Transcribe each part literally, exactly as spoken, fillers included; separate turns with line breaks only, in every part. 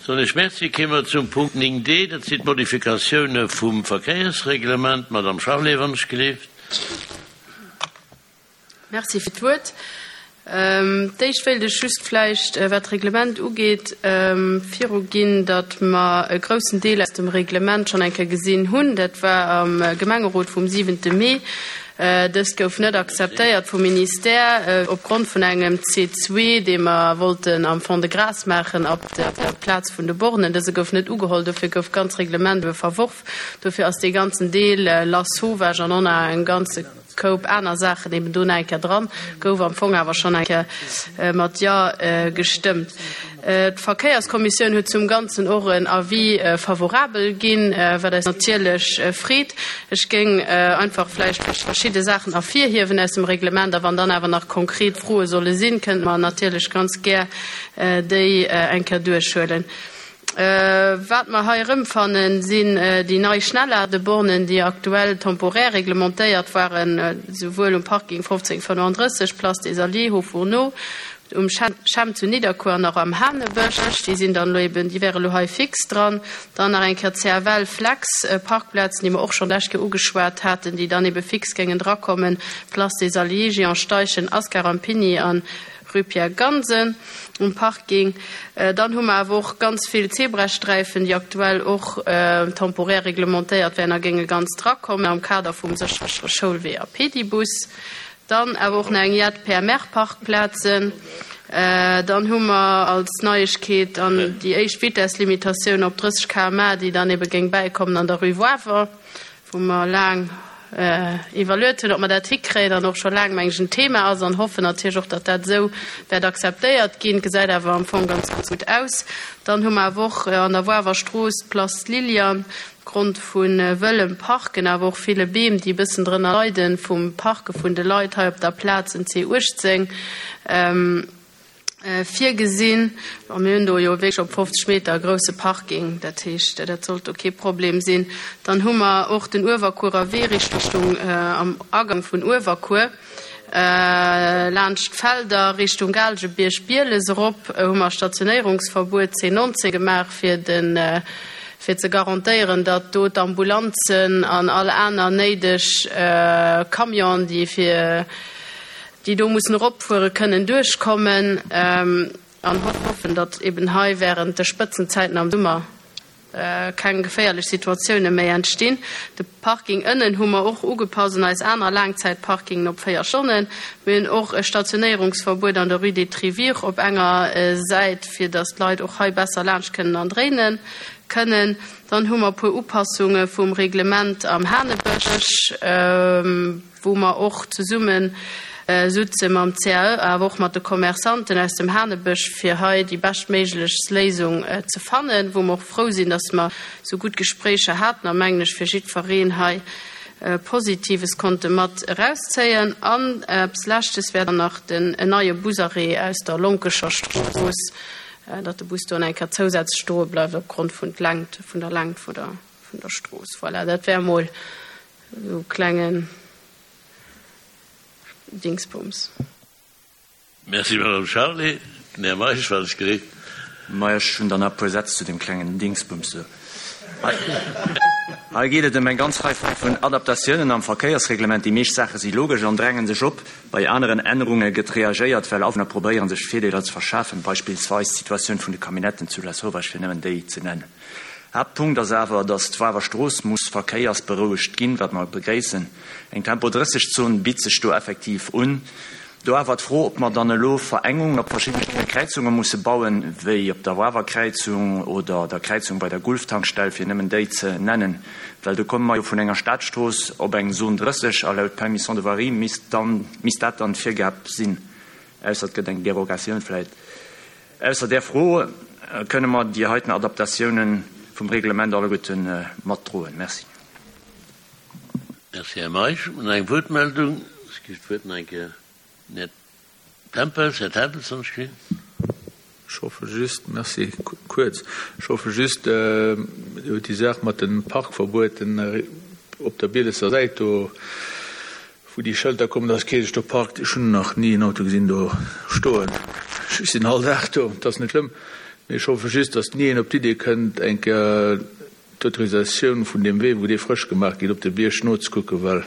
Soen ech Merci. Kéime mer zum Punkt néng D, dat sinn d'Modifikatioune vum Verkéiersreglement. Madame Charlé, wann ech gleeft.
Merci fir d'Wuert. D'éischt wéilt ech just vläicht, wat d'Reglement ugeet, viruginn, datt mer e groussen Deel aus dem Reglement schonn eng Kéier gesinn hunn. Dat war am Gemengerot vum siwente Mee. Dëst gouf net akzeptéiert vum Ministère opgrond vun engem C zwee, dee mer wollten am Fond-de-Gras maachen op der Plaz vun de Bornen. Dëse gouf net ugeholl, dofir gouf d'ganz Reglement ebe verworf. Dofir ass dee ganzen Deel Lasauvage an och nach e ganze Koup aner Saachen eben do nach eng Kéier dran, gouf am Fong awer schonn eng Kéier mat Jo gestëmmt. D'Verkéierskommissioun huet zum Ganzen och en Avis favorabel ginn, wat eis natierlech freet. Ech géing einfach vläicht verschidde Saachen ervirhiewen aus dem Reglement, a wann dann awer nach konkret Froe solle sinn, kënnte mer natierlech ganz gär déi eng Kéier duerchhuelen. Wat mer hei erëmfannen, sinn déi nei Schnellladebornen, déi aktuell temporär reglementéiert waren, souwuel um Parking fofzéng fënnenddrësseg, Place des Alliés, Haut-Fourneau, um Chem zu Nidderkuer an och am Hanebësch. Déi sinn dann elo eben, déi wäre elo hei fix dran. Dann nach eng Kéier d'C F L Flex Parkplazen, déi mer och schonn d'lescht Kéier ugeschwat haten, déi dann ebe fix géingen drakommen, Place des Alliés, Jehan Steichen, Ascar Rampini an Rue Pierre Gansen um Parking. Dann hu mer awer och ganz vill Zebrasträifen, déi aktuell och temporär reglementéiert wären a géinge ganz drakommen am Kader vum séchere Schoulwee a Pedibus. Dann awer och nach eng jett P M R-Parkplazen. Dann hu mer als Neiegkeet an déi éischt Vitesslimitatioun op drësseg Kilometer pro Stonn, déi dann ebe géing bäikommen an der Rue Wawer, wou mer laang iwwerluet hunn, ob mer dat hikréien, an och scho laang, meng ech, en Thema ass, an hoffen natierlech och, datt dat esou wäert akzeptéiert ginn. Gesäit awer am Fong ganz gutt aus. Dann hu mer awer och an der Wawer Strooss d'Place Liliane, opgrond vu wëllem Parken, awer och ville Beem, déi e bëssen drënner leiden vum Parke vun de Leit hei op der Plaz, en C uechtzéng virgesinn. A mir hunn do jo wierklech op fofzeg Meter e grousse Parking, dat heescht, dat sollt do kee Problem sinn. Dann hu mer och den Uewerkuerer Wee Richtung am Agang vun Uewerkuer, laanscht d'Felder Richtung Gaalgebierg, Bieles erop, hu mer Stationéierungsverbuet C neunzéng gemaach, fir den fir ze garantéieren, datt do d'Ambulanzen an all aner néideg Camionen, déi fir déi do mussen eropfuere kënnen duerchkommen, an hoffen, datt eben hei während de Spëtzenzäiten am Summer keng geféierlech Situatioune méi entstinn. De Parking ënnen hu mer och ugepasst un eis aner Laangzäitparkingen op véier Stonnen. Mir hunn och e Stationéierungsverbuet an der Rue des Trivières op enger Säit, fir datt d'Leit och hei besser laanscht kënnen an dréine kënnen. Dann hu mer e puer Upassunge vum Reglement am Hanebësch, wou mer och zesumme sutze mam C A E, awer och mat de Commerçanten aus dem Hanebësch, fir hei déi beschtméiglechst Léisung ze fannen, wou mer och frou sinn, datt mer sou gutt Gespréicher haten a mengen ech fir jiddwereen hei Positives konnte mat erauszéien. An eppes Leschtes wär dann nach den neie Busarrêt aus der Lonkescher Strooss, datt de Bus do eng Kéier zousätzlech stoe bleift opgrond vun d'Längt vun der Längt vun der vun der Strooss. Voilà, dat wär mol sou klengen Dingsbums.
Merci, Madame Charlé. Den Här Meisch war sech gereet.
Ma ech hunn dann nach e puer Sätz zu dem klengen Dingsbums do. Hei geet et ëm eng ganz Rei vun Adaptatiounen am Verkéiersreglement. Déi meescht Saache si logesch an dränge sech op. Bei aneren Ännerunge gëtt reagéiert, well Awunner probéieren, sech Virdeeler ze verschafen, beispillsweis d'Situatioun vun de Camionnetten zu Lasauvage, fir nëmmen déi ze nennen. Haaptpunkt ass awer, datt d'Wawer Strooss muss verkéiersberouegt ginn, wat mer begréissen. Eng Tempo drësseg Zon bitt sech do effektiv un. Do awer d'Fro, ob mer dann elo Verengungen op verschiddene Kräizunge musse bauen, wéi op der Wawer Kräizung oder der Kräizung bei der Gulftankstell, fir nëmmen déi ze nennen, well do komme mer jo vun enger Stadstrooss op eng Zon drësseg a laut Permission de voirie misst dann misst dat dann d'Virgab sinn, ausser et gëtt eng Derogatioun vläit. Ausser där Fro kënne mer déi heiten Adaptatiounen vum Reglement alleguerte matdroen. Merci.
Merci, Här Meisch. Hunn eng Wuertmeldung. Ech ginn d'Wuert nach eng Kéier den Här Tempels. Här Tempels, wann ech ginn.
Ech hoffe just, merci, kuerz, ech hoffe just, déi Saach mat den Parkverbueten op der Bielesser Säit do, wou déi Schëlter kommen, dass kee sech do parkt. Ech hunn nach ni en Auto gesinn do stoen. Ech sinn all Dag do, dat ass net schlëmm. Mee ech hoffe just, datt ni een op d'Idee kënnt, eng Kéier d'Autorisatioun vun deem Wee, wou dee frësch gemaach gétt, op de Bierg nozekucken, well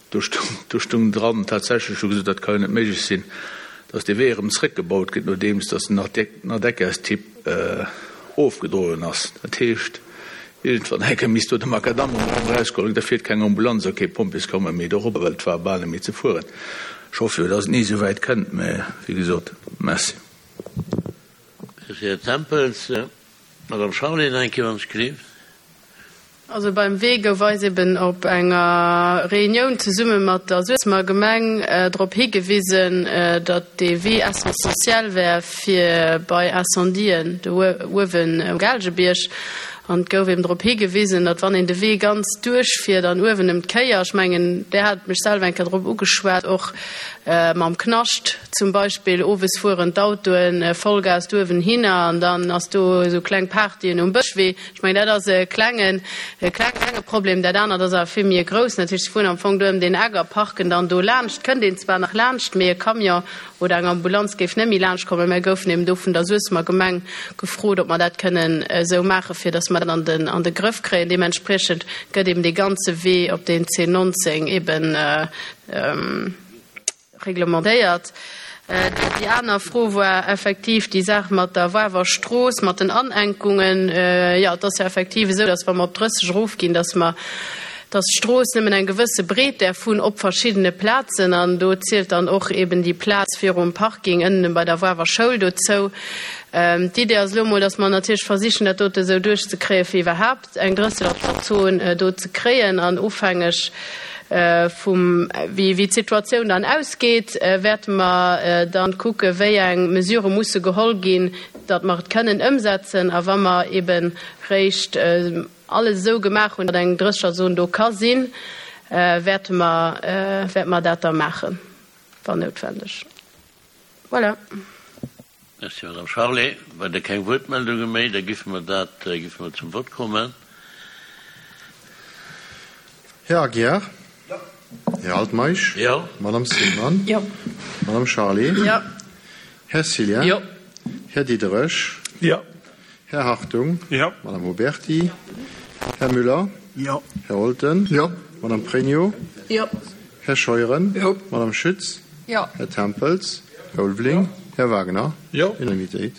do stung, do stung dran, tatsächlech, hu gesot, dat ka jo net méiglech sinn, datt dee Wee erëm zrëckgebaut gëtt, nodeems datt den Ardeckers-Typ ofgedroen ass. Dat heescht, iergendwann eng Kéier misst do de Makadamm erëm erausgeholl ginn, da fiert keng Ambulanz a kee Pompjeescamion méi dorobber, well et war bal net méi ze fueren. Ech hoffe jo, datt et ni esou wäit kënnt, mä wéi gesot, merci.
Merci, Här Tempels. Madame Charlé, nach eng Kéier, wann ech gleef.
Also beim Wee gouf eis eben op enger Reunioun zesumme mat der Suessemer Gemeng drop higewisen, datt dee Wee essentiell wär fir bei Incendien do uewen um Gaalgebierg. An et gouf eben drop higewisen, datt wann een de Wee ganz duerchfiert an uewen ëm d'Kéier, ech mengen, där hat mech selwer eng Kéier drop ugeschwat, och mam Knascht zum Beispill, owes fueren d'Autoen Vollgas do uewen hinner an dann ass do esou kleng Partyen um Bëschwee. Ech mengen, dat ass e klengen, e klenge Problem. Dat anert ass awer vill méi e groussen. Dat heescht, se fueren am Fong do ëm deen Eck a parken dann do laanscht. Kënnt een zwar nach laanscht, mee e Camion oder eng Ambulanz géif net méi laanscht kommen. Mir goufen eben do vun der Suessemer Gemeng gefrot, ob mer dat kënnen esou maachen, fir datt mer dat an den, an de Grëff kréien. Deementspriechend gëtt eben dee ganze Wee op deen C neunzehn eben reglementéiert. Déi aner Fro war effektiv déi Saach mat der Wawer Strooss, mat den Anenkungen. Jo, et ass jo effektiv esou, datt wa mer op drësseg erofginn, datt mer, datt d'Strooss nëmmen eng gewësse Breet däerf hunn op verschiddene Plazen. An do zielt dann och eben déi Plaz virum Parking ënnen bei der Wawer Schoul dozou. D'Idee ass elo emol, datt mer natierlech versichen, dat dote esou duerchzekréien, fir iwwerhaapt eng drësseger-Zon do ze kréien. An ofhängeg vum, wéi, wéi d'Situatioun dann ausgeet, wäerte mer dann kucke wéi eng Mesure musse geholl ginn, datt mer et kënnen ëmsetzen. A wa mer eben réischt alles esou gemaach hunn, datt eng Drësseger-Zon do ka sinn, wäerte mer, wäerte mer dat da maachen, wann noutwendeg. Voilà.
Merci, Madame Charlé. Well der keng Wuertmeldunge méi, da giffe mer dat, giffe mer zum Vott kommen.
Här Aguiar? Jo. Här Altmeisch?
Jo.
Madame Sillmann?
Jo.
Madame Charlé?
Jo.
Här Cillien?
Jo.
Här Diderich?
Jo.
Här Hartung?
Jo.
Madame Huberti? Här Müller?
Jo.
Här Holten?
Jo.
Madame Pregno?
Jo.
Här Scheuren?
Jo.
Madame Schütz?
Jo.
Här Tempels? Här Ulveling?
Jo.
Här Wagner?
Jo.
Unanimitéit.